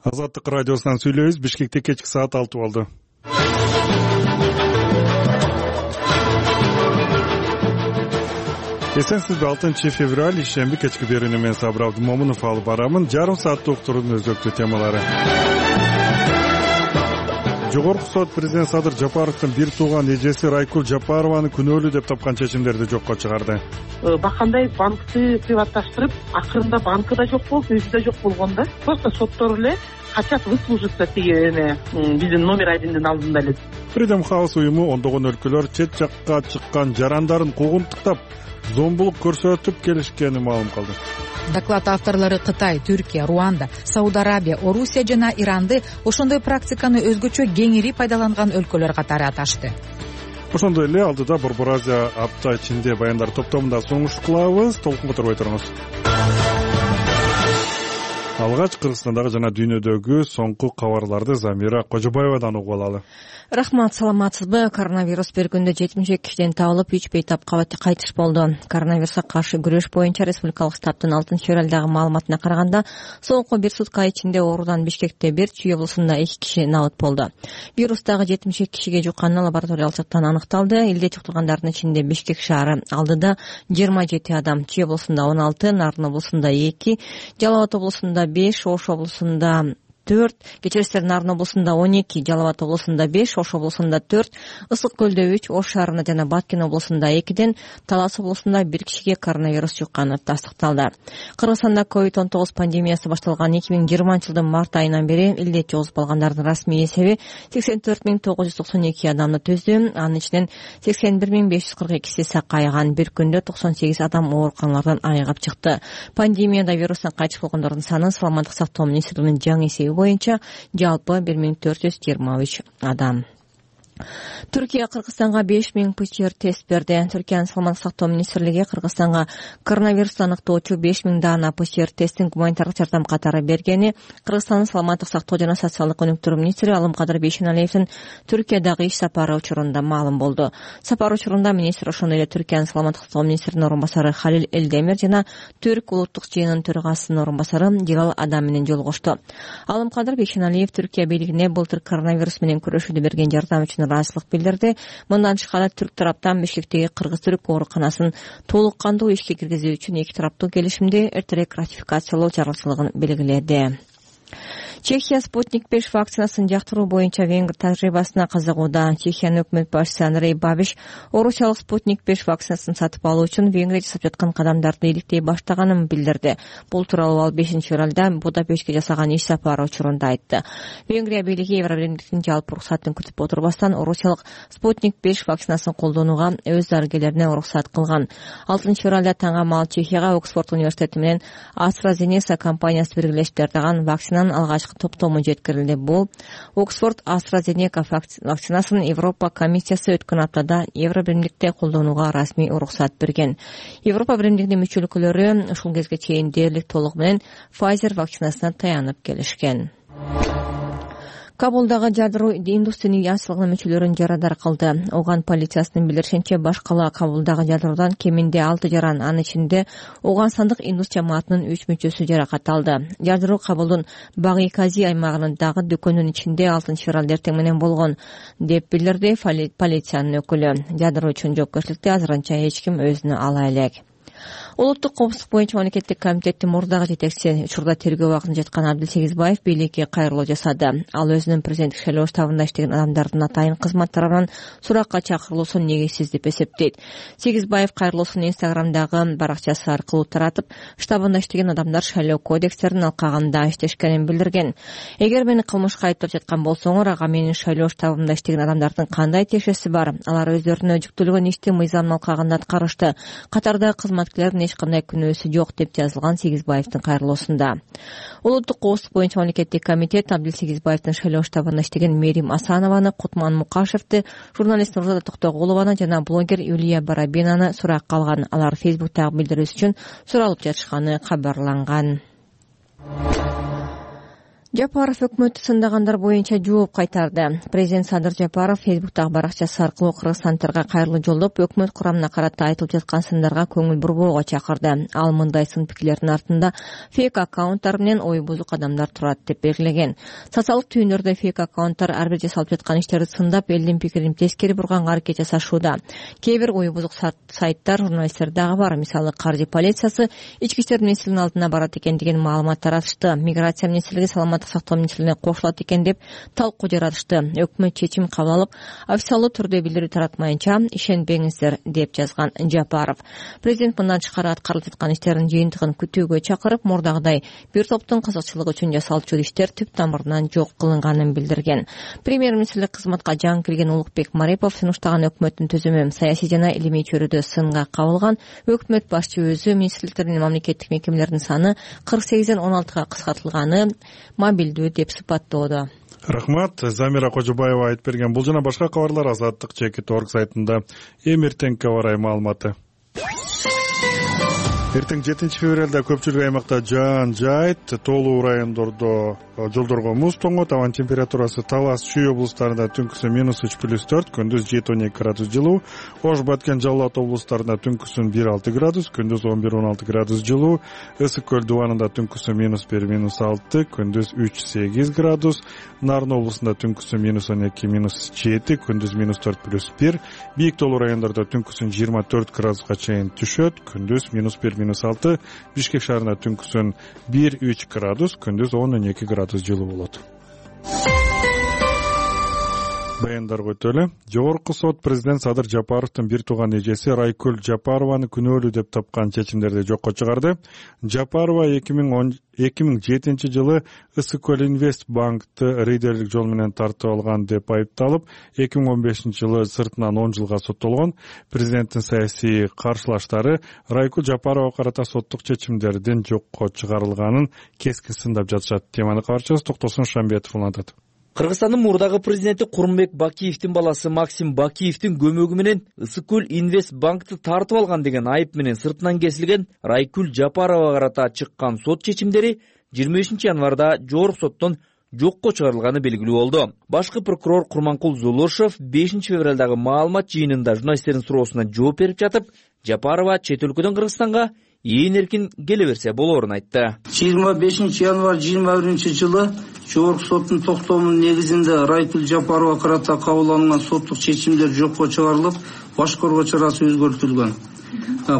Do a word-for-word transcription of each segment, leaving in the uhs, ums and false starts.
Азаттык радиосунан сүйлөйбүз. Бишкекте кечки саат алты болду. Эсенсизби? алтынчы февраль ишемби кечки берүүнү мен Сабыр Абдымомунов алып барамын. Жарым сааттык уктуруунун өзөктүү темалары. Жогорку сот президент Садыр Жапаровдун бир тууган эжеси Райкул Жапарованы күнөөлүү деп тапкан чечимдерди жокко чыгарды. Бакандай банкты приватташтырып, акырында банкы да жок болуп, өзү да жок болгон да. Просто соттор эле качат выслужиться тиги эме биздин номер одиндин алдында эле. Freedom House уюму ондогон өлкөлөр чет жакка чыккан жарандарын куугунтуктап, зомбулук көрсөтүп келишкенин маалым кылды. Доклад авторлору Кытай, Түркия, Руанда, Сауд Арабия, Орусия жана Иранды ошондой практиканы өзгөчө кеңири пайдаланган өлкөлөр катары аташты. Ошондой эле алдыда Борбор Азия апта ичинде баяндар топтомунда сунуш кылабыз. Толкунга турбай туруңуз. Алгач Кыргызстандагы жана дүйнөдөгү соңку кабарларды Замира Кожобаевадан угуп алалы. Рахмат, саламатсызбы? Коронавирус бир күндө жетимиш эки кишиден табылып, үч бейтап кайтыш болду. Коронавирусга каршы күрөш боюнча республикалык штабтын алтынчы февралдагы маалыматына караганда, соңку бир сутка ичинде оорудан Бишкекте бир, Чүй облусунда эки киши набыт болду. Вирус дагы жетимиш эки кишиге жукканы лабораториялык жактан аныкталды. Элде жуктургандардын ичинде Бишкек шаары алдыда жыйырма жети адам, Чүй облусунда он алты, Нарын облусунда эки, Жалал Абад облусунда беш, Ош облусунда төрт, Кечерестер Нарын облусунда он эки, Жалал Абад облусунда беш, Ош облусунда төрт, Ысык көлдө үч, Ош шаарында жана Баткен облусунда экиден, Талас облусунда бир кишиге коронавирус жукканы тастыкталды. Кыргызстанда ковид он тогуз пандемиясы башталган эки миң жыйырманчы жылдын март айынан бери илдет жугузуп алгандардын расмий эсеби сексен төрт миң тогуз жүз токсон эки адамды түздү. Анын ичинен сексен бир миң беш жүз кырк экиси сакайган. Бир күндө токсон сегиз адам ооруканалардан айыгып чыкты. Пандемияда вирустан кайтыш болгондордун саны Саламаттык сактоо министрлигинин жаңы эсеби боюнча жалпы бир миң төрт жүз жыйырма үч адам. Түркия Кыргызстанга беш миң ПЦР тест берди. Түркиянын саламаттык сактоо министрлиги Кыргызстанга коронавирусту аныктоочу беш миң даана ПЦР тесттин гуманитардык жардам катары бергени Кыргызстандын саламаттык сактоо жана социалдык өнүктүрүү министри Алымкадыр Бейшеналиевдин Түркиядагы иш сапары учурунда маалым болду. Сапар учурунда министр ошондой эле Түркиянын саламаттык сактоо министринин орун басары Халил Элдемир жана Түрк улуттук жыйынынын төрагасынын орун басары Дилал Адам менен жолугушту. Алымкадыр Бейшеналиев Түркия бийлигине былтыр коронавирус менен күрөшүүдө берген жардам үчүн ыраазычылык билдирди. Мындан тышкары Түрк тараптан Бишкектеги Кыргыз-Түрк ооруканасын толук кандуу ишке киргизүү үчүн эки тараптуу келишимди эртерээк ратификациялоо зарылчылыгын белгиледи. Чехия Спутник беш вакцинасын жактыруу боюнча Венгр тажрыйбасына кызыгууда. Чехиянын өкмөт башчысы Андрей Бабиш орусиялык Спутник беш вакцинасын сатып алуу үчүн Венгрия жасап жаткан кадамдарды иликтей баштаганын билдирди. Бул тууралуу ал бешинчи февралда Будапештке жасаган иш сапары учурунда айтты. Венгрия бийлиги Евробиримдиктин жалпы уруксатын күтүп отурбастан орусиялык Спутник беш вакцинасын колдонууга өз дарыгерлерине уруксат кылган. алтынчы февралда таңга маал Чехияга Оксфорд университети менен AstraZeneca компаниясы биргелешип даярдаган вакцинанын алгачкы топтому жеткирилди. Бул Оксфорд AstraZeneca вакцинасын Европа комиссиясы өткөн аптада Евробиримдикте колдонууга расмий уруксат берген. Европа биримдигинин мүчө өлкөлөрү ушул кезге чейин дээрлик толугу менен Pfizer вакцинасына таянып келишкен. Кабулдагы жадруу индустрия ясылыгынын мүчөлөрүн жарадар кылды. Оган полициясынын билдиришинче баш кала Кабулдагы жадруудан кеминде алты жаран, анын ичинде Оганстандык индус жамаатынын үч мүчөсү жаракат алды. Жадруу Кабулдун Баги-Кази аймагынындагы дүкөнүнүн ичинде алтынчы февралда эртең менен болгон, деп билдирди полициянын өкүлү. Жадруу үчүн жоопкерчиликти азырынча эч ким өзүнө ала элек. Улуттук коопсуздук боюнча мамлекеттик комитеттин мурдагы жетекчиси, учурда тергөө убагында жаткан Абдил Сегизбаев бийликке кайрылуу жасады. Ал өзүнүн президенттик шайлоо штабында иштеген адамдардын атайын кызматтарынан суракка чакырылуусун негизсиз деп эсептейт. Сегизбаев кайрылуусун Инстаграмдагы баракчасы аркылуу таратып, штабында иштеген адамдар шайлоо кодекстерин алкагында иштешкенин билдирген. Эгер мени кылмышка айыптап жаткан болсоңор, ага менин шайлоо штабымда иштеген адамдардын кандай тиешеси бар? Алар өздөрүнө жүктөлгөн ишти мыйзам алкагында аткарышты. Катарда кызматкерлердин эч кандай күнөөсү жок, деп жазылган Сегизбаевдин кайрылуусунда. Улуттук коопсуздук боюнча мамлекеттик комитет Абдил Сегизбаевдин шайлоо штабында иштеген Мерим Асанованы, Кутман Мукашевди, журналист Нурзада Токтогулованы жана блогер Юлия Барабинаны суракка алган. Алар Фейсбуктагы билдирүүсү үчүн суралып жатышканы кабарланган. Жапаров өкмөттү сындагандар боюнча жооп кайтарды. Президент Садыр Жапаров Фейсбуктагы баракчасы аркылуу кыргызстандыктарга кайрылуу жолдоп, өкмөт курамына карата айтылып жаткан сындарга көңүл бурбоого чакырды. Ал мындай сын пикирлердин артында фейк аккаунттар менен ой бузук адамдар турат деп белгилеген. Социалдык түйүндөрдө фейк аккаунттар ар бир жасалып жаткан иштерди сындап, элдин пикирин тескери бурганга аракет жасашууда. Кээ бир ой бузук сайттар, журналисттер дагы бар. Мисалы, каржы полициясы ички иштер министрлигинин алдына барат экен деген маалымат таратышты. Миграция министрлиги саламаттык сактоо министрлигине кошулат экен деп талкуу жаратышты. Өкмөт чечим кабыл алып, официалдуу түрдө билдирүү таратмайынча ишенбеңиздер деп жазган Жапаров. Президент мындан тышкары аткарылып жаткан иштердин жыйынтыгын күтүүгө чакырып, мурдагыдай бир топтун кызыкчылыгы үчүн жасалып жүргөн иштер түп тамырынан жок кылынганын билдирген. Премьер-министрлик кызматка жаңы кирген Улукбек Марипов сунуштаган өкмөттүн түзүмү саясий жана илимий чөйрөдө сынга кабылган. Өкмөт башчы өзү министрликтердин мамлекеттик мекемелердин саны кырк сегизден он алтыга кыскартылганы мобилдүү деп сыпаттоодо. Рахмат. Замира Кожобаева айтып берген. Бул жана башка кабарлар Азаттык чекит орг сайтында. Эми эртеңки аба ырайы маалыматы. Эртең жетинчи февралда көпчүлүк аймакта жаан жайт, тоолуу райондордо жолдорго муз тоңот. Абанын температурасы Талас, Чүй облустарында түнкүсүн минус үч плюс төрт, күндүз жети он эки градус жылуу. Ош, Баткен, Жалал Абад облустарында түнкүсүн бир алты градус, күндүз он бир он алты градус жылуу. Ысык көл дубанында түнкүсүн минус бир минус алты, күндүз үч сегиз градус. Нарын облусунда түнкүсүн минус он эки минус жети, күндүз минус төрт плюс бир. Бийик тоолуу райондордо түнкүсүн жыйырма төрт градуска чейин түшөт, күндүз минус бир минус алты. Бишкек шаарында түнкүсүн бир үч градус, күндүз он он эки градус жылуу болот. Баяндарга өтөлү. Жогорку сот президент Садыр Жапаровдун бир тууган эжеси Райкүл Жапарованы күнөөлүү деп тапкан чечимдерди жокко чыгарды. Жапарова эки миң жетинчи жылы Ысык көл Инвест банкты рейдерлик жол менен тартып алган деп айыпталып, эки миң он бешинчи жылы сыртынан он жылга соттолгон. Президенттин саясий каршылаштары Райкүл Жапарова карата соттук чечимдердин жокко чыгарылганын кескин сындап жатышат. Теманы кабарчыбыз Токтосун Шамбетов улантат. Кыргызстандын мурдагы президенти Курманбек Бакиевдин баласы Максим Бакиевдин көмөгү менен Ысык көл Инвест банкты тартып алган деген айып менен сыртынан кесилген Райкүл Жапарова карата чыккан сот чечимдери жыйырма бешинчи январда жогорку соттон жокко чыгарылганы белгилүү болду. Башкы прокурор Курманкул Зулушев бешинчи февралдагы маалымат жыйынында журналисттердин суроосуна жооп берип жатып, Жапарова чет өлкөдөн Кыргызстанга ээн эркин келе берсе болоорун айтты. жыйырма бешинчи январь жыйырма биринчи жылы жогорку соттун токтомунун негизинде Райкүл Жапарова карата кабыл алынган соттук чечимдер жокко чыгарылып, башкаруу чарасы өзгөртүлгөн.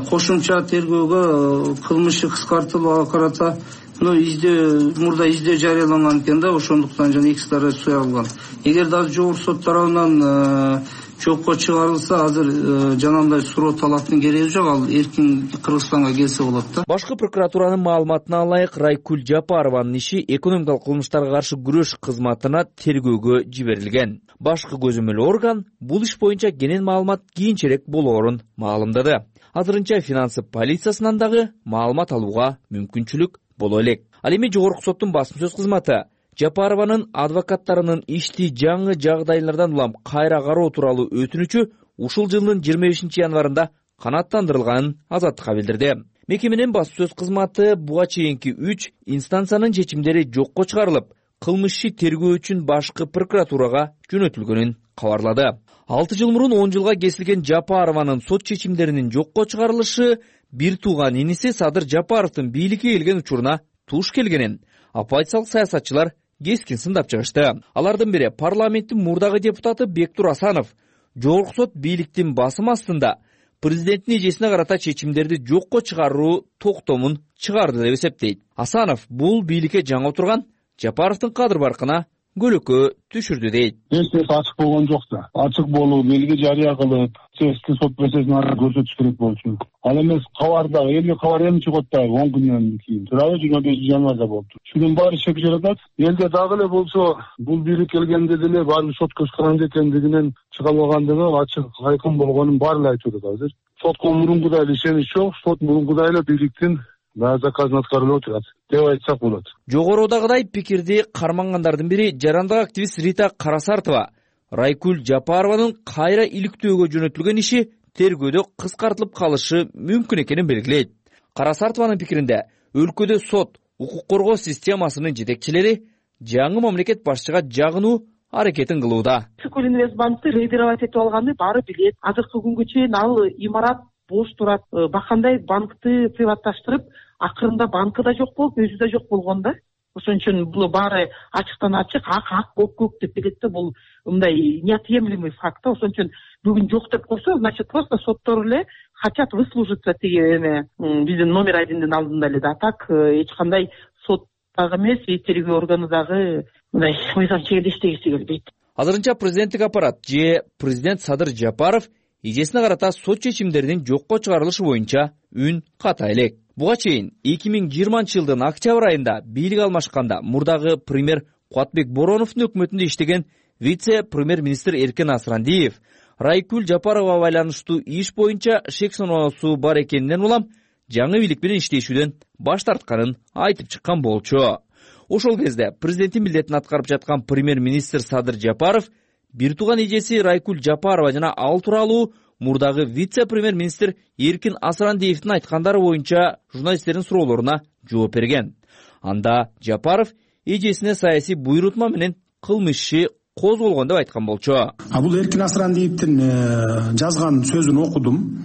Кошумча тергөөгө кылмышы кыскартылууга карата издөө мурда издөө жарыяланган экен да, ошондуктан жана эки сылтар суярылган. Эгер дагы жогорку сот тарабынан жокко чыгарылса, азыр жанагындай суроо талаптын кереги жок, ал эркин Кыргызстанга келсе болот да. Башкы прокуратуранын маалыматына ылайык, Райкүл Жапарованын иши экономикалык кылмыштарга каршы күрөш кызматына тергөөгө жиберилген. Башкы көзөмөл орган бул иш боюнча кенен маалымат кийинчерээк болоорун маалымдады. Азырынча финансы полициясынан дагы маалымат алууга мүмкүнчүлүк боло элек. Ал эми жогорку соттун басым сөз кызматы Жапарованын адвокаттарынын ишти жаңы жагдайлардан улам кайра кароо тууралуу өтүнүчү ушул жылдын жыйырма бешинчи январында канааттандырылганын Азаттыкка билдирди. Мекеменин басым сөз кызматы буга чейинки үч инстанциянын чечимдери жокко чыгарылып, кылмыш иши тергөө үчүн башкы прокуратурага жөнөтүлгөнүн кабарлады. алты жыл мурун он жылга кесилген Жапарованын сот чечимдеринин жокко чыгарылышы бир тууган иниси Садыр Жапаровдун бийликке келген учуруна туш келгенин оппозициялык саясатчылар кескин сындап чыгышты. Алардын бири парламенттин мурдагы депутаты Бектур Асанов жогорку сот бийликтин басым астында президенттин эжесине карата чечимдерди жокко чыгаруу токтомун чыгарды деп эсептейт. Асанов бул бийликке жаңы отурган Жапаровдун кадыр баркына көлөкө түшүрдү дейт. Эч нерсе ачык болгон жок да. Ачык болуу, белги жарыя кылып, чечки сот процессин көрсөтүш керек болчу. Ал эмес кабарда, элге кабар эми чыгат да он күндөн кийин. Туурабы жыйырма бешинчи январда болду. Шунун баары шек жаратат. Элде дагы эле болсо, бул бийлик келгенде деле баары сот көз каранды экендигинен чыга алгандыгы ачык айкын болгонун баары эле айтып атат азыр. Сотко мурункудай эле ишенич жок, сот мурункудай эле бийликтин баа заказын аткарылып отурат деп айтсак болот. Жогорудагыдай пикирди кармангандардын бири жарандык активист Рита Карасартова Райкүл Жапарованын кайра иликтөөгө жөнөтүлгөн иши тергөөдө кыскартылып калышы мүмкүн экенин белгилейт. Карасартованын пикиринде өлкөдө сот, укук коргоо системасынын жетекчилери жаңы мамлекет башчыга жагынуу аракетин кылууда. Инвестбанкты рейдировать этип алганы баары билет. Азыркы күнгө чейин ал имарат бош турат. Бакандай банкты приватташтырып, акырында банкы да жок болуп, өзү да жок болгон да. Ошон үчүн бул баары ачыктан ачык, ак ак, көк көк деп билет да, бул мындай неотъемлемый факт. Ошон үчүн бүгүн жок деп койсо, значит просто соттор эле хотят выслужиться тиги эме биздин номер одиндин алдында эле да. Так эч кандай сот дагы эмес, и тергөө органы дагы мындай мыйзам чегинде иштегиси келбейт. Азырынча президенттик аппарат же президент Садыр Жапаров эжесине карата сот чечимдеринин жокко чыгарылышы боюнча үн ката элек. Буга чейин эки миң жыйырманчы жылдын октябрь айында бийлик алмашканда мурдагы премьер Кубатбек Бороновдун өкмөтүндө иштеген вице-премьер-министр Эркен Асрандиев Райкүл Жапарова байланыштуу иш боюнча шек саноосу бар экенинен улам жаңы бийлик менен иштешүүдөн баш тартканын айтып чыккан болчу. Ошол кезде президенттин милдетин аткарып жаткан премьер-министр Садыр Жапаров бир тууган эжеси Райкүл Жапарова жана ал тууралуу мурдагы вице-премьер-министр Эркен Асрандиевдин айткандары боюнча журналисттердин суроолоруна жооп берген. Анда Жапаров эжесине саясий буйрутма менен кылмыш иши козголгон деп айткан болчу. А бул Эркен Асрандиевдин жазган сөзүн окудум.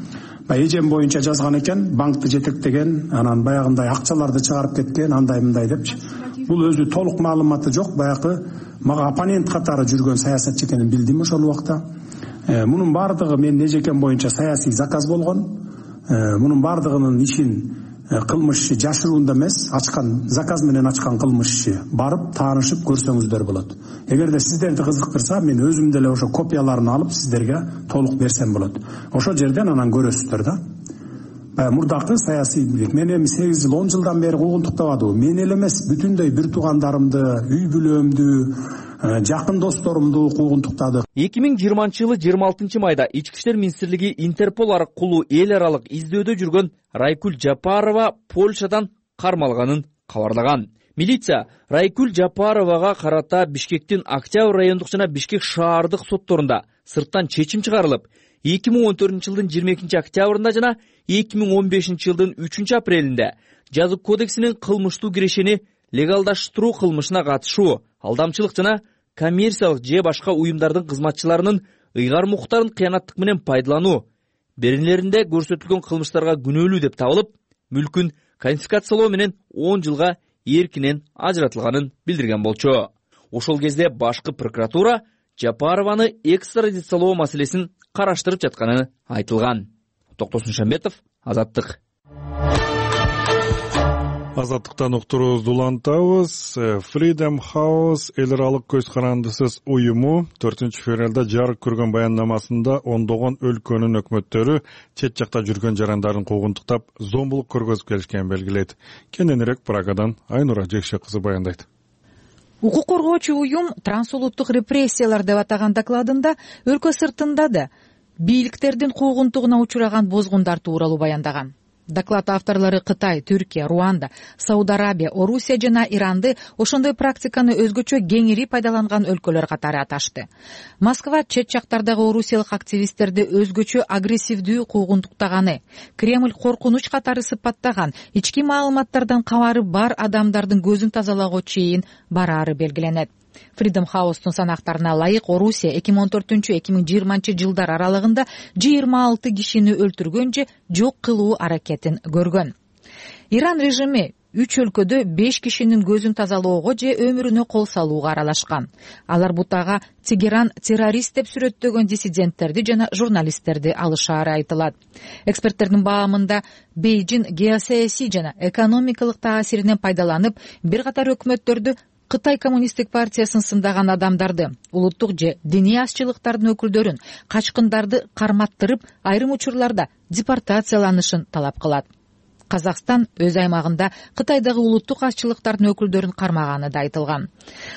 Эжем боюнча жазган экен, банкты жетектеген, анан баягындай акчаларды чыгарып кеткен, андай мындай депчи. Бул өзү толук маалыматы жок, баягы мага оппонент катары жүргөн саясатчы экенин билдим ошол убакта. Мунун бардыгы менин эжекем боюнча саясий заказ болгон. Мунун бардыгынын ишин кылмыш иши жашыруунда эмес, ачкан заказ менен ачкан кылмыш иши. Барып таанышып көрсөңүздөр болот. Эгерде сиздерди кызыктырса, мен өзүм деле ошо копияларын алып сиздерге толук берсем болот. Ошол жерден анан көрөсүздөр да. Баягы мурдакы саясий бийлик. Мен эми сегиз жыл, он жылдан бери куугунтуктабадыбы? Мен эле эмес, бүтүндөй бир туугандарымды, үй бүлөмдү, жакын досторумду куугунтуктадык. эки миң жыйырманчы жылы жыйырма алтынчы майда Ички иштер министрлиги Интерпол аркылуу эл аралык издөөдө жүргөн Райкүл Жапарова Польшадан кармалганын кабарлаган. Милиция Райкүл Жапаровага карата Бишкектин Октябрь райондук жана Бишкек шаардык сотторунда сырттан чечим чыгарылып, эки миң он төртүнчү жылдын жыйырма экинчи октябрында жана эки миң он бешинчи жылдын үчүнчү апрелинде жаза кодексинин кылмыштуу кирешени легалдаштыруу кылмышына катышуу, алдамчылык жана коммерциялык же башка уюмдардын кызматчыларынын ыйгар мукуктарын кыянаттык менен пайдалануу беренелеринде көрсөтүлгөн кылмыштарга күнөөлүү деп табылып, мүлкүн конфискациялоо менен он жылга эркинен ажыратылганын билдирген болчу. Ошол кезде башкы прокуратура Жапарованы экстрадициялоо маселесин караштырып жатканы айтылган. Токтосун Шамбетов, Азаттык. Азаттыктан уктуруубузду улантабыз. Freedom House эл аралык көз карандысыз уюму төртүнчү февралда жарык көргөн баяндамасында ондогон өлкөнүн өкмөттөрү чет жакта жүргөн жарандарын куугунтуктап, зомбулук көргөзүп келишкенин белгилейт. Кененирээк Прагадан Айнура Жекше кызы баяндайт. Укук коргоочу уюм трансулуттук репрессиялар деп атаган докладында өлкө сыртында да бийликтердин куугунтугуна учураган бозгундар тууралуу баяндаган. Доклад авторлору Кытай, Түркия, Руанда, Сауд Арабия, Орусия жана Иранды ошондой практиканы өзгөчө кеңири пайдаланган өлкөлөр катары аташты. Москва чет жактардагы орусиялык активисттерди өзгөчө агрессивдүү куугунтуктаганы, Кремль коркунуч катары сыпаттаган, ички маалыматтардан кабары бар адамдардын көзүн тазалоого чейин бараары белгиленет. Freedom House'тун санактарына ылайык Орусия эки миң он төртүнчү эки миң жыйырманчы жылдар аралыгында жыйырма алты кишини өлтүргөн же жок кылуу аракетин көргөн. Иран режими үч өлкөдө беш кишинин көзүн тазалоого же өмүрүнө кол салууга аралашкан. Алар бутага Тегеран террорист деп сүрөттөгөн диссиденттерди жана журналисттерди алышаары айтылат. Эксперттердин баамында Бейжин геосаясий жана экономикалык таасиринен пайдаланып, бир катар өкмөттөрдү Кытай коммунисттик партиясын сындаган адамдарды, улуттук же диний азчылыктардын өкүлдөрүн, качкындарды карматтырып, айрым учурларда депортацияланышын талап кылат. Казакстан өз аймагында Кытайдагы улуттук азчылыктардын өкүлдөрүн кармаганы да айтылган.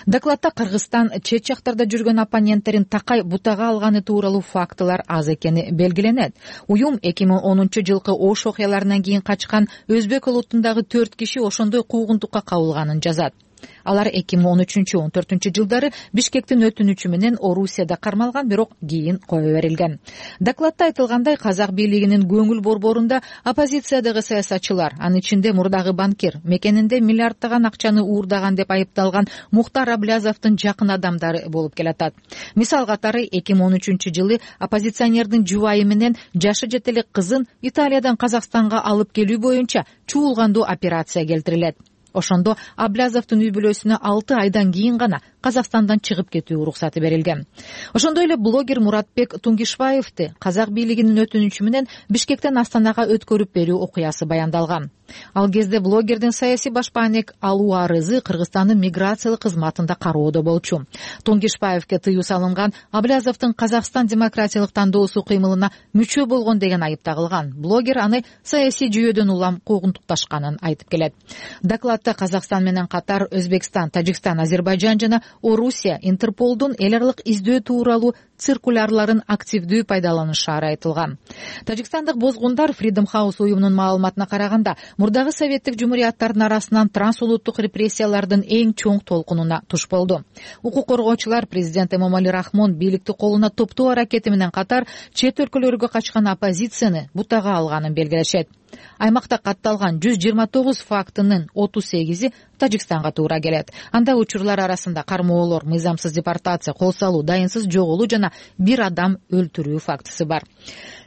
Докладда Кыргызстан чет жактарда жүргөн оппоненттерин такай бутага алганы тууралуу фактылар аз экени белгиленет. Уюм эки миң онунчу жылкы Ош окуяларынан кийин качкан өзбек улутундагы төрт киши ошондой куугунтукка кабылганын жазат. Алар эки миң он үчүнчү он төртүнчү жылдары Бишкектин өтүнүчү менен Орусияда кармалган, бирок кийин кое берилген. Докладта айтылгандай, казак бийлигинин көңүл борборунда оппозициядагы саясатчылар, анын ичинде мурдагы банкир, мекенинде миллиарддаган акчаны уурдаган деп айыпталган Мухтар Аблязовдун жакын адамдары болуп келатат. Мисал катары эки миң он үчүнчү жылы оппозиционердин жубайы менен жашы жете элек кызын Италиядан Казакстанга алып келүү боюнча чуулгандуу операция келтирилет. Ошондо Аблязовдун үй бүлөсүнө алты айдан кийин гана Казакстандан чыгып кетүү уруксаты берилген. Ошондой эле блогер Муратбек Тунгишбаевди казак бийлигинин өтүнүчү менен Бишкектен Астанага өткөрүп берүү окуясы баяндалган. Ал кезде блогердин саясий башпаанек алуу арызы Кыргызстандын миграциялык кызматында кароодо болчу. Тунгишбаевге тыюу салынган Аблязовдун Казакстан демократиялык тандоосу кыймылына мүчө болгон деген айып тагылган. Блогер аны саясий жүйөдөн улам куугунтукташканын айтып келет. Докладта Казакстан менен катар Өзбекстан, Тажикстан, Азербайжан жана Орусия Интерполдун эл аралык издөө тууралуу циркулярларын активдүү пайдаланышары айтылган. Тажикстандык бозгундар Freedom House уюмунун маалыматына караганда, мурдагы советтик жумурияттардын арасынан трансулуттук репрессиялардын эң чоң толкунуна туш болду. Укук коргоочулар президент Эмомали Рахмон бийликти колуна топтоо аракети менен катар чет өлкөлөргө качкан оппозицияны бутага алганын белгилешет. Аймакта катталган жүз жыйырма тогуз фактынын отуз сегизи Тажикстанга туура келет. Анда учурлар арасында кармоолор, мыйзамсыз депортация, кол салуу, дайынсыз жоголуу жана бир адам өлтүрүү фактысы бар.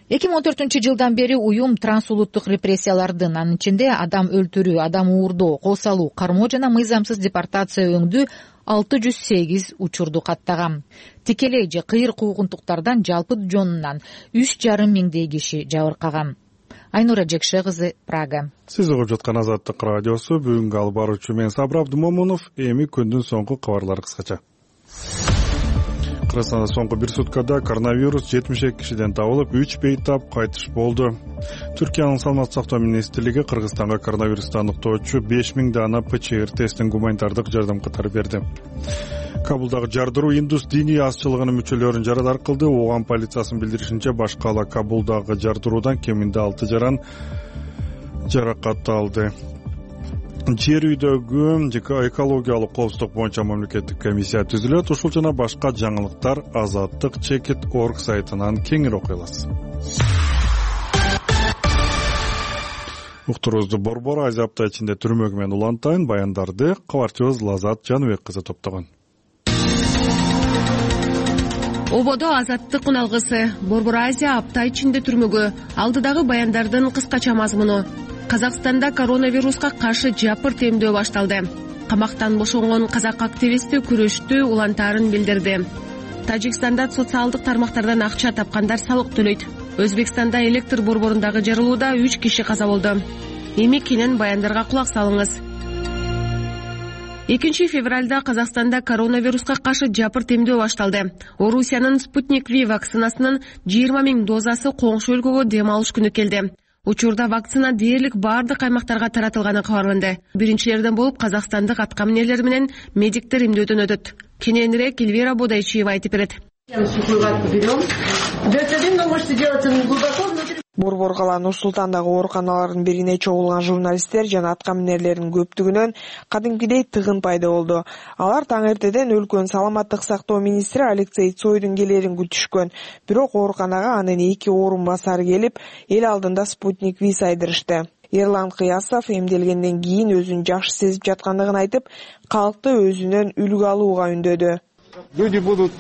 эки миң он төртүнчү жылдан бери уюм трансулуттук репрессиялардын, анын ичинде адам өлтүрүү, адам уурдоо, кол салуу, кармоо жана мыйзамсыз депортация өңдүү алты жүз сегиз учурду каттаган. Тикелей же кыйыр куугунтуктардан жалпы жонунан үч жарым миңдей киши жабыркаган. Айнура Жекше кызы, Прага. Сиз угуп жаткан Азаттык радиосу. Бүгүнкү алып баруучу мен Сабыр Абдымомунов. Эми күндүн соңку кабарлары кыскача. Кыргызстанда соңку бир суткада коронавирус жетимиш эки кишиден табылып, үч бейтап кайтыш болду. Түркиянын саламаттык сактоо министрлиги Кыргызстанга коронавирусту аныктоочу беш миң дана ПЧР тестин гуманитардык жардам катары берди. Кабулдагы жардыруу индус диний азчылыгынын мүчөлөрүн жарадар кылды. Ооган полициясынын билдиришинче, башкала Кабулдагы жардыруудан кеминде алты жаран жаракат алды. Жер үйдөгү экологиялык коопсуздук боюнча мамлекеттик комиссия түзүлөт. Ушул жана башка жаңылыктар азаттык чекит точка орг сайтынан кеңири окуй аласыз. Уктуруубузду Борбор Азия апта ичинде түрмөгү менен улантайын. Баяндарды кабарчыбыз Лазат Жаныбек кызы топтогон. Ободо азаттык уналгысы. Борбор Азия апта ичинде түрмөгү. Алдыдагы баяндардын кыскача мазмуну. Казакстанда коронавируска каршы жапыр темдөө башталды. Камактан бошонгон казак активисти күрөштү улантаарын билдирди. Тажикстанда социалдык тармактардан акча тапкандар салык төлөйт. Өзбекстанда электр борборундагы жарылууда үч киши каза болду. Эми кенен баяндарга кулак салыңыз. экинчи февралда Казакстанда коронавируска каршы жапыр темдөө башталды. Орусиянын Спутник Ви вакцинасынын жыйырма миң дозасы коңшу өлкөгө дем алыш күнү келди. Учурда вакцина дээрлик бардык аймактарга таратылганы кабарланды. Биринчилерден болуп казакстандык аткаминерлер менен медиктер эмдөөдөн өтөт. Кененирээк Эльвира Бодайчиева айтып берет. Борбор кала Нур Султандагы ооруканалардын бирине чогулган журналисттер жана аткаминерлердин көптүгүнөн кадимкидей тыгын пайда болду. Алар таң эртеден өлкөнүн саламаттык сактоо министри Алексей Цойдун келерин күтүшкөн. Бирок ооруканага анын эки орун басары келип, эл алдында Спутник Ви сайдырышты. Эрлан Кыясов эмделгенден кийин өзүн жакшы сезип жаткандыгын айтып, калкты өзүнөн үлгү алууга үндөдү. Люди будут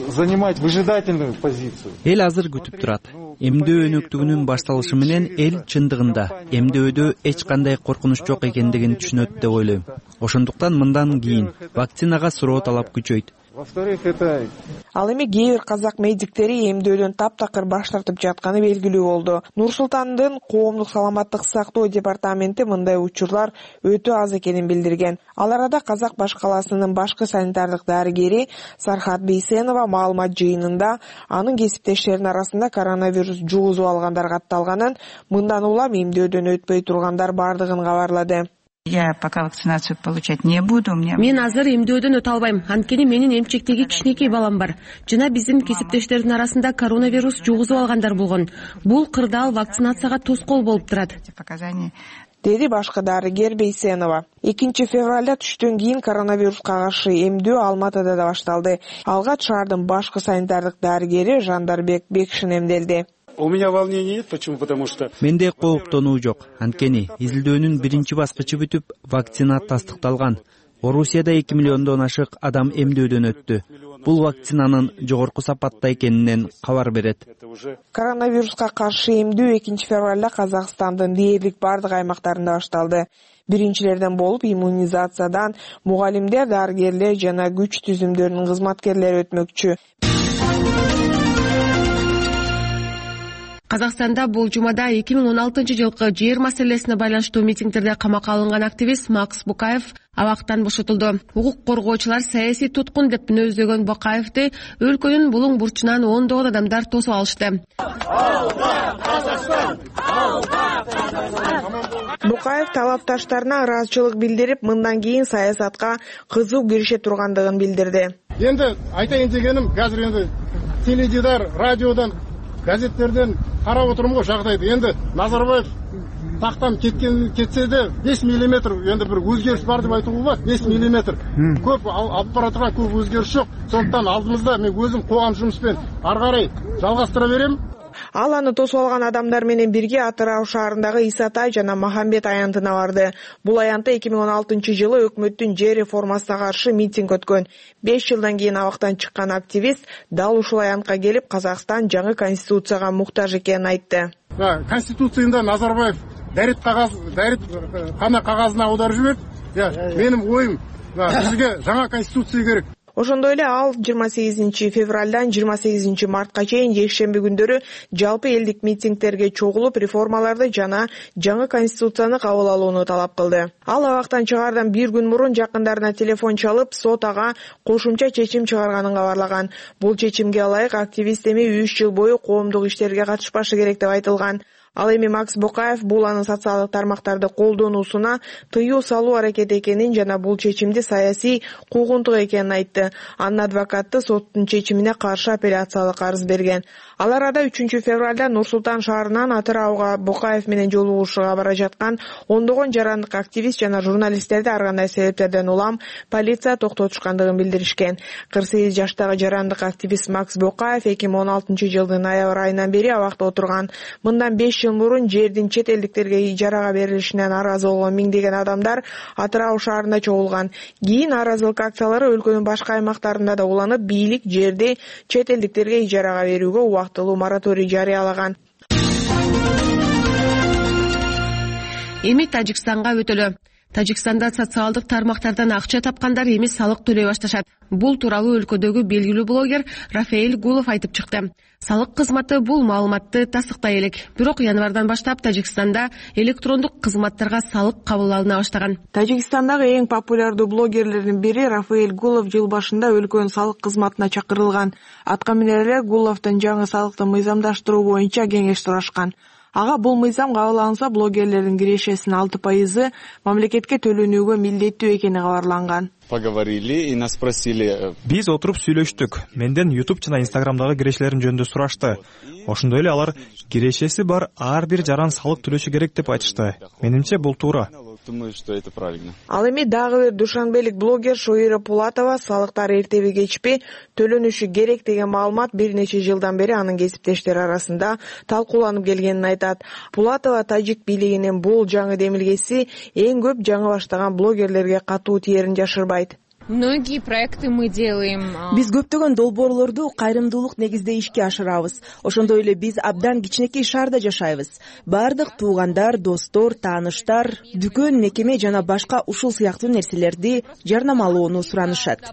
занимать выжидательную позицию. Эл азыр күтүп турат. Эмдөө өнөктүгүнүн башталышы менен эл чындыгында эмдөөдө эч кандай коркунуч жок экендигин түшүнөт деп ойлойм. Ошондуктан мындан кийин вакцинага суроо талап күчөйт. Ал эми кээ бир казак медиктери эмдөөдөн таптакыр баш тартып жатканы белгилүү болду. Нур Султандын коомдук саламаттык сактоо департаменти мындай учурлар өтө аз экенин билдирген. Ал арада Казак баш каласынын башкы санитардык дарыгери Сархат Бейсенова маалымат жыйынында анын кесиптештеринин арасында коронавирус жугузуп алгандар катталганын, мындан улам эмдөөдөн өтпөй тургандар бардыгын кабарлады. Я пока вакцинацию получать не буду. Мен азыр эмдөөдөн өтө албайм. Анткени менин эмчектеги кичинекей балам бар. Жана биздин кесиптештердин арасында коронавирус жугузуп алгандар болгон. Бул кырдаал вакцинацияга тоскоол болуп турат. Показания деди башкы дарыгер Бейсенова. экинчи февралда түштөн кийин коронавируска каршы эмдөө Алматыда да башталды. Алгач шаардын башкы санитардык дарыгери Жандарбек Бекшин эмделди. У меня волнений нет, почему? Потому что менде кооптонуу жок. Анткени изилдөөнүн биринчи баскычы бүтүп, вакцина тастыкталган. Орусияда эки миллиондон ашык адам эмдөөдөн өттү. Бул вакцинанын жогорку сапатта экенинен кабар берет. Коронавируска каршы эмдөө экинчи февралда Казакстандын дээрлик бардык аймактарында башталды. Биринчилерден болуп иммунизациядан мугалимдер, дарыгерлер жана күч түзүмдөрүнүн кызматкерлери өтмөкчү. Казакстанда бул жумада эки миң он алтынчы жылкы жер маселесине байланыштуу митингдерде камакка алынган активист Макс Букаев абактан бошотулду. Укук коргоочулар саясий туткун деп мүнөздөгөн Букаевди өлкөнүн булуң бурчунан ондогон адамдар тосуп алышты. Букаев талапташтарына ыраазычылык билдирип, мындан кийин саясатка кызуу кирише тургандыгын билдирди. Энди айтайын дегеним, азыр энди теледидар, радиодон, газеттерден карап отурмун го жагдайды. Энди Назарбаев тактан кеткен кетсе де беш миллиметр энди бир өзгөрүш бар деп айтууга болот. беш миллиметр көп алып бара турган көп өзгөрүш жок. Сондуктан алдымызда мен өзүм кылган жумушпен ары карай жалгастыра берем. Ал аны тосуп алган адамдар менен бирге Атырау шаарындагы Исатай жана Махамбет аянтына барды. Бул аянтта эки миң он алтынчы жылы өкмөттүн жер реформасына каршы митинг өткөн. беш жылдан кийин абактан чыккан активист дал ушул аянтка келип, Казакстан жаңы конституцияга муктаж экенин айтты. Конституцияда Назарбаев дарит кагаз, дарит кана кагазына аударып жиберди. Менин оюм, бизге жаңа конституция керек. Ошондой эле ал жыйырма сегизинчи февралдан жыйырма сегизинчи мартка чейин жекшемби күндөрү жалпы элдик митингтерге чогулуп, реформаларды жана жаңы конституцияны кабыл алууну талап кылды. Ал абактан чыгаардан бир күн мурун жакындарына телефон чалып, сот ага кошумча чечим чыгарганын кабарлаган. Бул чечимге ылайык активист эми үч жыл бою коомдук иштерге катышпашы керек деп айтылган. Ал эми Макс Букаев бул анын социалдык тармактарды колдонуусуна тыюу салуу аракети экенин жана бул чечимди саясий куугунтук экенин айтты. Анын адвокаты соттун чечимине каршы апелляциялык арыз берген. Ал арада үчүнчү февралда Нур-Султан шаарынан Атырауга Букаев менен жолугушууга бара жаткан ондогон жарандык активист жана журналисттерди ар кандай себептерден улам полиция токтотушкандыгын билдиришкен. кырк сегиз жаштагы жарандык активист Макс Букаев эки миң он алтынчы жылдын ноябрь айынан бери абакта отурган. Мындан беш жыл мурун жердин чет элдиктерге ижарага берилишине нааразы болгон миңдеген адамдар Атырау шаарында чогулган. Кийин нааразылык акциялары өлкөнүн башка аймактарында да уланып, бийлик жерди чет элдиктерге ижарага берүүгө убактылуу мораторий жарыялаган. Эми Тажикстанга өтөлү. Тажикстанда социалдык тармактардан акча тапкандар эми салык төлөй башташат. Бул тууралуу өлкөдөгү белгилүү блогер Рафаэль Гулов айтып чыкты. Салык кызматы бул маалыматты тастыктай элек. Бирок январдан баштап Тажикстанда электрондук кызматтарга салык кабыл алына баштаган. Тажикстандагы эң популярдуу блогерлердин бири Рафаэль Гулов жыл башында өлкөнүн салык кызматына чакырылган. Атка минерлер Гуловдун жаңы салыкты мыйзамдаштыруу боюнча кеңеш сурашкан. Ага бул мыйзам кабыл алынса, блогерлердин кирешесинин алты пайызы мамлекетке төлөнүүгө милдеттүү экени кабарланган. Поговорили и нас спросили. Биз отуруп сүйлөштүк. Менден YouTube жана Instagramдагы кирешелерим жөнүндө сурашты. Ошондой эле алар кирешеси бар ар бир жаран салык төлөшү керек деп айтышты. Менимче бул туура. Думаю, что это правильно. Ал эми дагы бир душанбелик блогер Шоира Пулатова салыктар эртеби кечпи төлөнүшү керек деген маалымат бир нече жылдан бери анын кесиптештери арасында талкууланып келгенин айтат. Пулатова тажик бийлигинин бул жаңы демилгеси эң көп жаңы баштаган блогерлерге катуу тиерин жашырбайт. Многие проекты мы делаем. Биз көптөгөн долбоорлорду кайрымдуулук негизде ишке ашырабыз. Ошондой эле биз абдан кичинекей шаарда жашайбыз. Бардык туугандар, достор, тааныштар, дүкөн, мекеме жана башка ушул сыяктуу нерселерди жарнамалоону суранышат.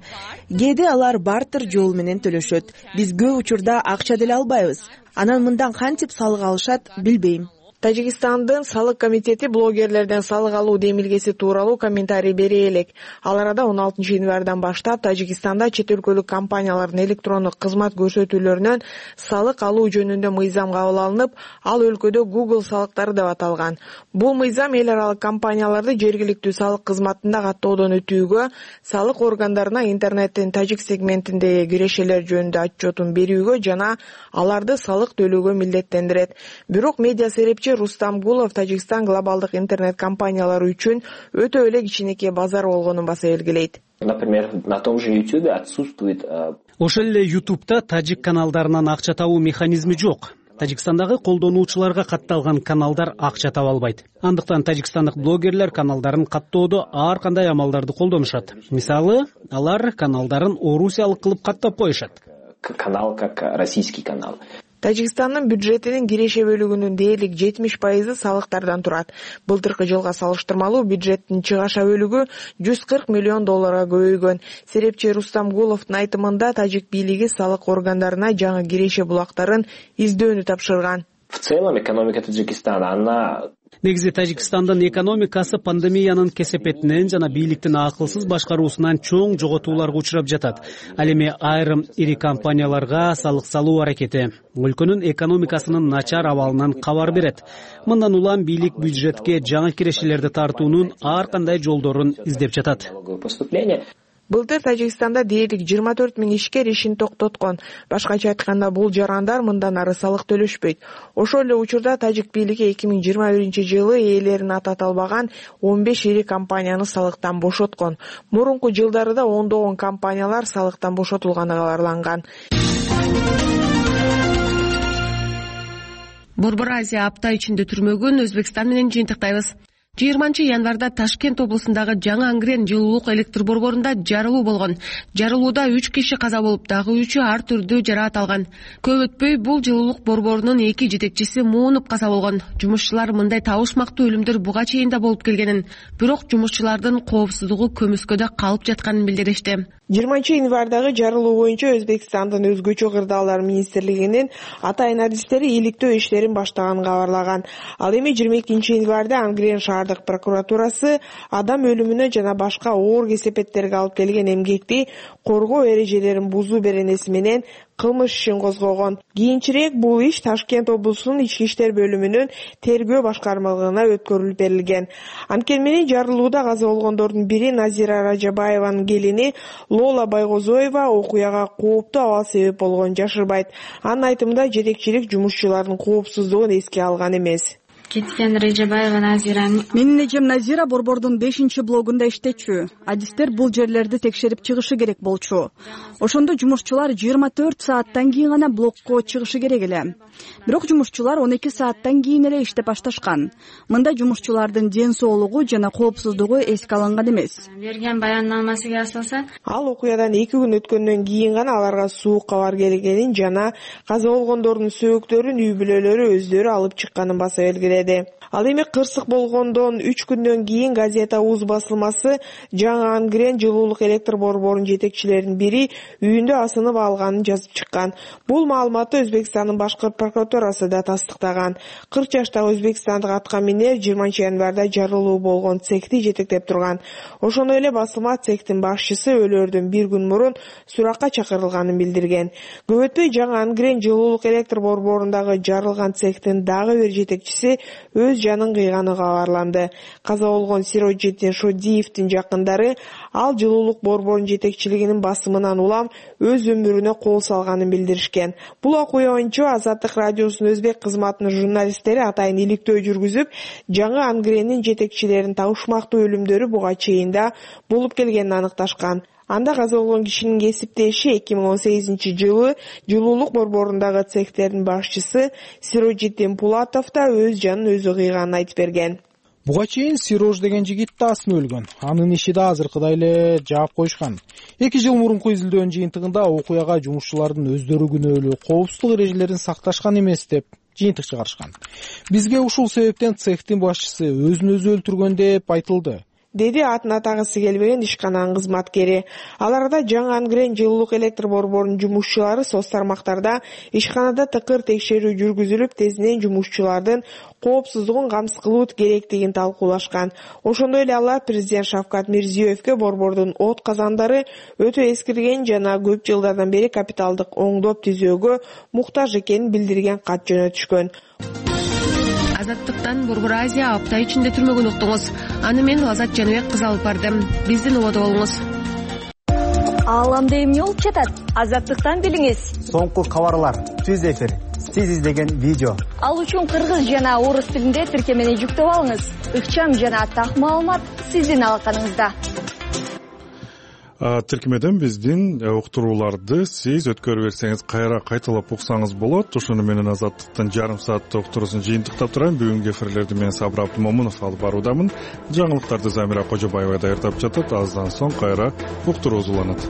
Кээде алар бартер жол менен төлөшөт. Биз көп учурда акча деле албайбыз. Анан мындан кантип салык алышат, билбейм. Тажикстандын салык комитети блогерлерден салык алуу демилгеси тууралуу комментарий бере элек. Ал арада он алтынчы январдан баштап Тажикстанда чет өлкөлүк компаниялардын электрондук кызмат көрсөтүүлөрүнөн салык алуу жөнүндө мыйзам кабыл алынып, ал өлкөдө Google салыктары деп аталган. Бул мыйзам эл аралык компанияларды жергиликтүү салык кызматында каттоодон өтүүгө, салык органдарына интернеттин тажик сегментиндеги кирешелер жөнүндө отчетун берүүгө жана аларды салык төлөөгө милдеттендирет. Бирок медиа серепчи серепчи Рустам Гулов Тажикстан глобалдык интернет компаниялары үчүн өтө эле кичинекей базар болгонун баса белгилейт. Например, на том же YouTube отсутствует. Ошол эле YouTube'да тажик каналдарынан акча табуу механизми жок. Тажикстандагы колдонуучуларга катталган каналдар акча таба албайт. Андыктан тажикстандык блогерлер каналдарын каттоодо ар кандай амалдарды колдонушат. Мисалы, алар каналдарын орусиялык кылып каттап коюшат. Канал как российский канал. Тажикстандын бюджетинин киреше бөлүгүнүн дээрлик жетимиш пайызы салыктардан турат. Былтыркы жылга салыштырмалуу бюджеттин чыгаша бөлүгү жүз кырк миллион долларга көбөйгөн. Серепчи Рустам Гуловдун айтымында тажик бийлиги салык органдарына жаңы киреше булактарын издөөнү тапшырган. В целом экономика Таджикистана, она... Негизи Тажикстандын экономикасы пандемиянын кесепетинен жана бийликтин акылсыз башкаруусунан чоң жоготууларга учурап жатат. Ал эми айрым ири компанияларга салык салуу аракети өлкөнүн экономикасынын начар абалынан кабар берет. Мындан улам бийлик бюджетке жаңы кирешелерди тартуунун ар кандай жолдорун издеп жатат. Былтыр Тажикстанда дээрлик жыйырма төрт миң ишкер ишин токтоткон. Башкача айтканда бул жарандар мындан ары салык төлөшпөйт. Ошол эле учурда тажик бийлиги эки миң жыйырма биринчи жылы ээлерин атата албаган он беш ири компанияны салыктан бошоткон. Мурунку жылдары да ондогон компаниялар салыктан бошотулганы кабарланган. Борбор Азия апта ичинде түрмөгүн Өзбекстан менен жыйынтыктайбыз. жыйырманчы январда Ташкент облусундагы Жаңы Ангрен жылуулук электр борборунда жарылуу болгон. Жарылууда үч киши каза болуп, дагы үчү ар түрдүү жараат алган. Көп өтпөй бул жылуулук борборунун эки жетекчиси муунуп каза болгон. Жумушчулар мындай табышмактуу өлүмдөр буга чейин да болуп келгенин, бирок жумушчулардын коопсуздугу көмүскөдө калып жатканын билдиришти. жыйырманчы январдагы жарылуу боюнча Өзбекстандын өзгөчө кырдаалдар министрлигинин атайын адистери иликтөө иштерин баштаганын кабарлаган. Ал эми жыйырма экинчи январда Ангрен шаардык прокуратурасы адам өлүмүнө жана башка оор кесепеттерге алып келген эмгекти коргоо эрежелерин бузуу беренеси менен кылмыш ишин козгогон. Кийинчерээк бул иш Ташкент облусунун ички иштер бөлүмүнүн тергөө башкармалыгына өткөрүлүп берилген. Анткени менен жарылууда каза болгондордун бири Назира Ражабаеванын келини Лола Байгозоева окуяга кооптуу абал себеп болгонун жашырбайт. Анын айтымында жетекчилик жумушчулардын коопсуздугун эске алган эмес. Кеткен Режебаева Назираны. Менин эжем Назира борбордун бешинчи блогунда иштечү. Адистер бул жерлерди текшерип чыгышы керек болчу. Ошондо жумушчулар жыйырма төрт сааттан кийин гана блокко чыгышы керек эле. Бирок жумушчулар он эки сааттан кийин эле иштеп башташкан. Мында жумушчулардын ден соолугу жана коопсуздугу эске алынган эмес. Берген баяннамасыга асылса, ал окуядан эки күн өткөндөн кийин гана аларга суук кабар келгенин жана каза болгондордун сөөктөрүн үй бүлөлөрү өздөрү алып чыкканын баса белгиледи. Ал эми кырсык болгондон үч күндөн кийин газета Уз басылмасы Жаңы Ангрен жылуулук электр борборунун жетекчилеринин бири үйүндө асынып алганын жазып чыккан. Бул маалыматты Өзбекстандын башкы прокуратурасы да тастыктаган. кырк жаштагы өзбекстандык атка минер жыйырманчы январда жарылуу болгон цехти жетектеп турган. Ошондой эле басылма цехтин башчысы өлөрдөн бир күн мурун суракка чакырылганын билдирген. Көп өтпөй Жаңы Ангрен жылуулук электр борборундагы жарылган цехтин дагы бир жетекчиси өз жанын кыйганы кабарланды. Каза болгон Сироджиддин Шодиевдин жакындары ал жылуулук борборунун жетекчилигинин басымынан улам өз өмүрүнө кол салганын билдиришкен. Бул окуя боюнча Азаттык радиосунун өзбек кызматынын журналисттери атайын иликтөө жүргүзүп, Жаңы Ангрендин жетекчилеринин табышмактуу өлүмдөрү буга чейин да болуп келгенин аныкташкан. Анда каза болгон кишинин кесиптеши эки миң он сегизинчи жылы жылуулук борборундагы цехтердин башчысы Сироджиддин Пулатов да өз жанын өзү кыйганын айтып берген. Буга чейин Сирож деген жигит да асынып өлгөн. Анын иши да азыркыдай эле жаап коюшкан. эки жыл мурунку изилдөөнүн жыйынтыгында окуяга жумушчулардын өздөрү күнөөлүү, коопсуздук эрежелерин сакташкан эмес деп жыйынтык чыгарышкан. Бизге ушул себептен цехтин башчысы өзүн өзү өлтүргөн деп айтылды, деди атын атагысы келбеген ишкананын кызматкери. Аларда Жаңы Ангрен жылуулук электр борборунун жумушчулары соц тармактарда ишканада тыкыр текшерүү жүргүзүлүп, тезинен жумушчулардын коопсуздугун камсыз кылуу керектигин талкуулашкан. Ошондой эле алар президент Шавкат Мирзиёевке борбордун от казандары өтө эскирген жана көп жылдардан бери капиталдык оңдоп түзөөгө муктаж экенин билдирген кат жөнөтүшкөн. Азаттыктан Борбор Азия апта ичинде түрмөгүн уктуңуз. Аны мен Азат Жаныбек кыз алып бардым. Биздин убада болуңуз. Ааламда эмне болуп жатат? Азаттыктан билиңиз. Соңку кабарлар түз эфир сиз издеген видео. Ал үчүн кыргыз жана орус тилинде тиркемени жүктөп алыңыз. Ыкчам жана так маалымат сиздин алаканыңызда. Тиркемеден биздин уктурууларды сиз өткөрүп берсеңиз кайра кайталап уксаңыз болот. Ошону менен Азаттыктын жарым сааттык уктуруусун жыйынтыктап турайын. Бүгүнкү эфирлерди мен Сабыр Абдымомунов алып баруудамын. Жаңылыктарды Замира Кожобаева даярдап жатат. Аздан соң кайра уктуруу уланат.